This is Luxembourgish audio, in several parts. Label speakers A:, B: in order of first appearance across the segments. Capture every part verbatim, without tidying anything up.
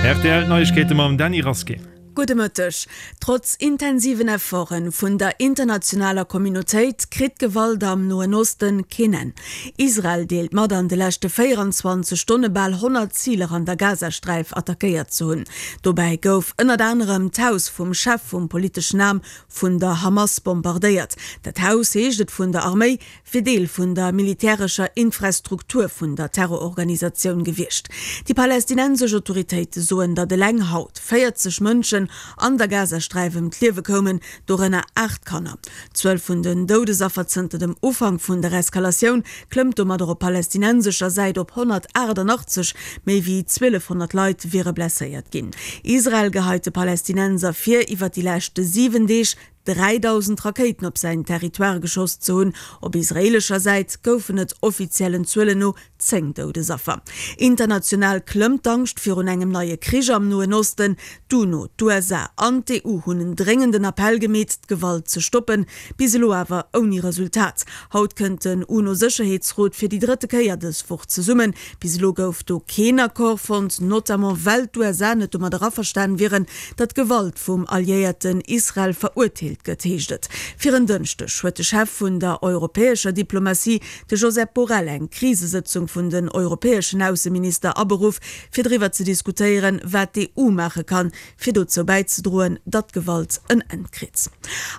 A: Rtl Neiegkeete mam Dany Rasqué.
B: Gudde Mëtteg. Trotz intensiven Efforte vun der internationaler Communautéit kritt d'Gewalt am Noen Osten keen Enn. Israel deelt mat, an de leschte véieranzwanzeg Stonne bal honnert Ziler an der Gazasträif attackéiert ze hunn. Dobäi gouf ënnert anerem d'Haus vum Chef vum politeschen Aarm vun der Hamas bombardéiert. Dat Haus, heescht et vun der Arméi, wier Deel vun der militärescher Infrastruktur vun der Terrororganisatioun gewiescht. Déi palästinensesch Autoritéite soen, datt eleng haut véierzeg Mënschen an der Gazasträif ëm d'Liewe koumen, dorënner aacht Kanner. D'Zuel vun den Doudesaffer zënter dem Ufank vun der Eskalatioun klëmmt domadder op palästinensescher Säit op honnertaachtannachtzeg, méi wéi zwielefhonnert Leit wiere blesséiert ginn. Israel geheit de Palästinenser vir, iwwer déi leschte siwen Deeg dräidausend Rakéiten op säin Territoire geschoss ze hunn. Op israeelescher Säit goufen et offiziellen Zuelen no zéng Doudesaffer. International klëmmt d'Angscht virun engem neie Krich am Noen Osten. D'UNO, d'USA an d'EU hunn en dréngenden Appell gemeet, d'Gewalt ze stoppen. Bis elo awer ouni Resultat. Haut kënnt den UNO-Sécherheetsrot fir déi drëtte Kéier dës Woch zesummen. Bis elo gouf do keen Accord fonnt, notamment well d'USA net domadder averstan wieren, datt Gewalt vum Alliéierten Israel verurteelt gëtt, heescht et. Fir en Dënschdeg huet de Chef vun der europäescher Diplomatie, de Josep Borrell, eng Krisesëtzung vun den europäeschen Ausseminister aberuff, fir driwwer ze diskutéieren, wat d'EU maache kann, fir dozou bäizedroen, datt d'Gewalt en Enn kritt.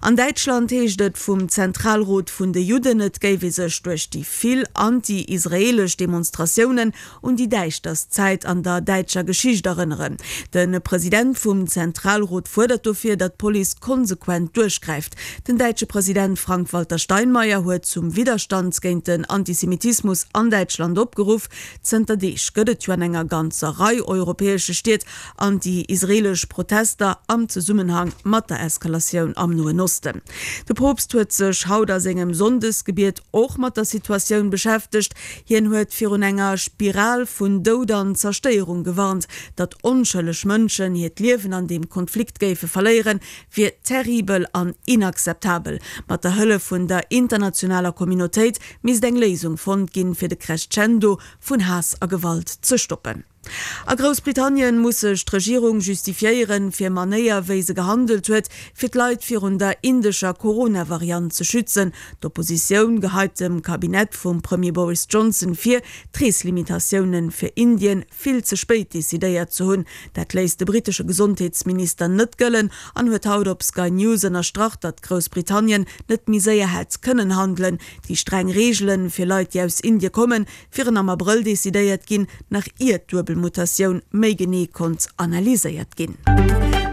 B: An Däitschland heescht et vum Zentralrot vun de Judden, et géif ee sech duerch déi vill anti-israeelesch Demonstratiounen un déi däischterst Zäit an der däitscher Geschicht erënneren. De President vum Zentralrot fuerdert dofir, datt d'Police konsequent duerchgräift. Den däitsche President Frank-Walter Steinmeier huet zum Widderstand géint den Antisemitismus an Däitschland opgeruff. Zënter Deeg gëtt et jo an enger ganzer Rei europäesche Stied anti-israeelesch Protester am Zesummenhang mat der Eskalatioun am Noen Osten. De Poopst huet sech haut a sengem Sonndesgebiet och mat der Situatioun beschäftegt. Hien huet virun enger Spiral vun Doud an Zerstéierung gewarnt. Datt onschëlleg Mënschen hiert Liewen an deem Konflikt géife verléieren, wier terribel an inakzeptabel. Mat der Hëllef vun der internationaler Communautéit misst eng Léisung fonnt ginn, fir de Crescendo vun Haass a Gewalt ze stoppen. A Groussbritannien muss sech d'Regierung justifiéieren, fir Manéier wéi se gehandelt huet, fir d'Leit virun der indescher Corona-Variant ze schützen. D'Oppositioun geheit dem Kabinett vum Premier Boris Johnson vir, d'Reeslimitatiounen fir Indien vill ze spéit decidéiert ze hunn. Dat léisst de brittesche Gesondheetsminister net gëllen an huet haut op Sky News ënnerstrach, datt Groussbritannien net méi séier hätt kënnen handelen. Déi streng Reegele fir Leit, déi aus Indie kommen, wieren am Abrëll decidéiert ginn, nach ier d'Duebelmutatioun méi genee konnt analyséiert ginn.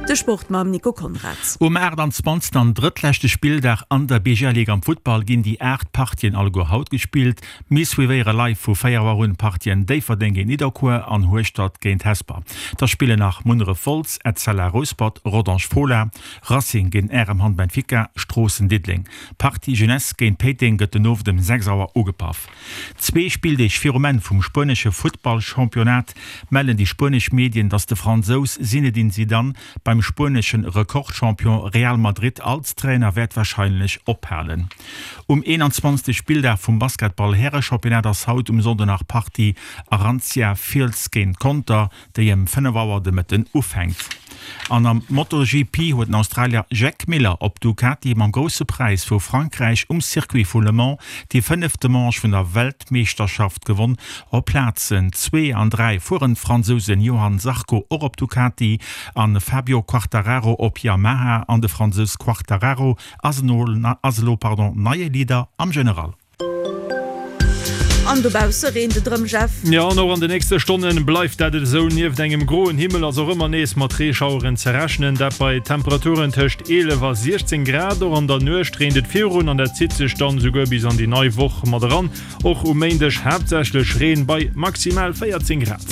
B: De Sport mam Nico Conrad.
C: Um aachtanzwanzegsten an drëttleschte Spilldag an der B G L Ligue am Futtball ginn déi aacht Partien alleguer haut gespillt. Mir suivéiere live vu véier Auer un d'Partien Déifferdeng géint Nidderkuer an Hueschtert géint Hesper. Da spillen nach Munneref Wolz, Etzella Rouspert, Rodange Fola, Racing géint R M Hamm Benfica, Stroossen Diddeleng. D'Partie Jeunesse géint Péiteng gëtt den Owend ëm sechs Auer ugepaff. Zwee Spilldeeg virum Enn vum spuenesche Futtballchampionnat mellen déi spuenesch Medien, datt de Fransous Zinedine Zidane beim spuenesche Rekordchampion Real Madrid als Trainer wäert warscheinlech ophalen. Um eenanzwanzegste Spilldag vum Basketball-Härechampionnat ass haut um Sonnden nach Partie Arantia Fiels géint Conter, déi ëm fënnef Auer de Mëtten ufänkt. An am MotoGP huet den Australier Jack Miller op Ducati mam Grousse Präis vu Frankräich um Circuit vu Le Mans déi fënnefte Manche vun der Weltmeeschterschaft gewonn. Op Plazen zwee an dräi fueren d'Fransousen Johann Zarco och op Ducati a Fabio Quartararo op Yamaha an de Fransous Quartararo ass elo neie Leader am General.
B: An dobausse reent et erëm, Jeff.
A: Jo, an och an de nächste Stonne bleift dat et esou. Nieft engem groen Himmel ass och ëmmer nees mat Reeschaueren ze rechnen, dat bei Temperaturen tëscht eelef a siechzéng Grad. Och an der Nuecht reent et virun an dat zitt sech dann esouguer bis an déi nei Woch mat eran. Och um Méindeg haaptsächlech Reen bei maximal véierzéng Grad.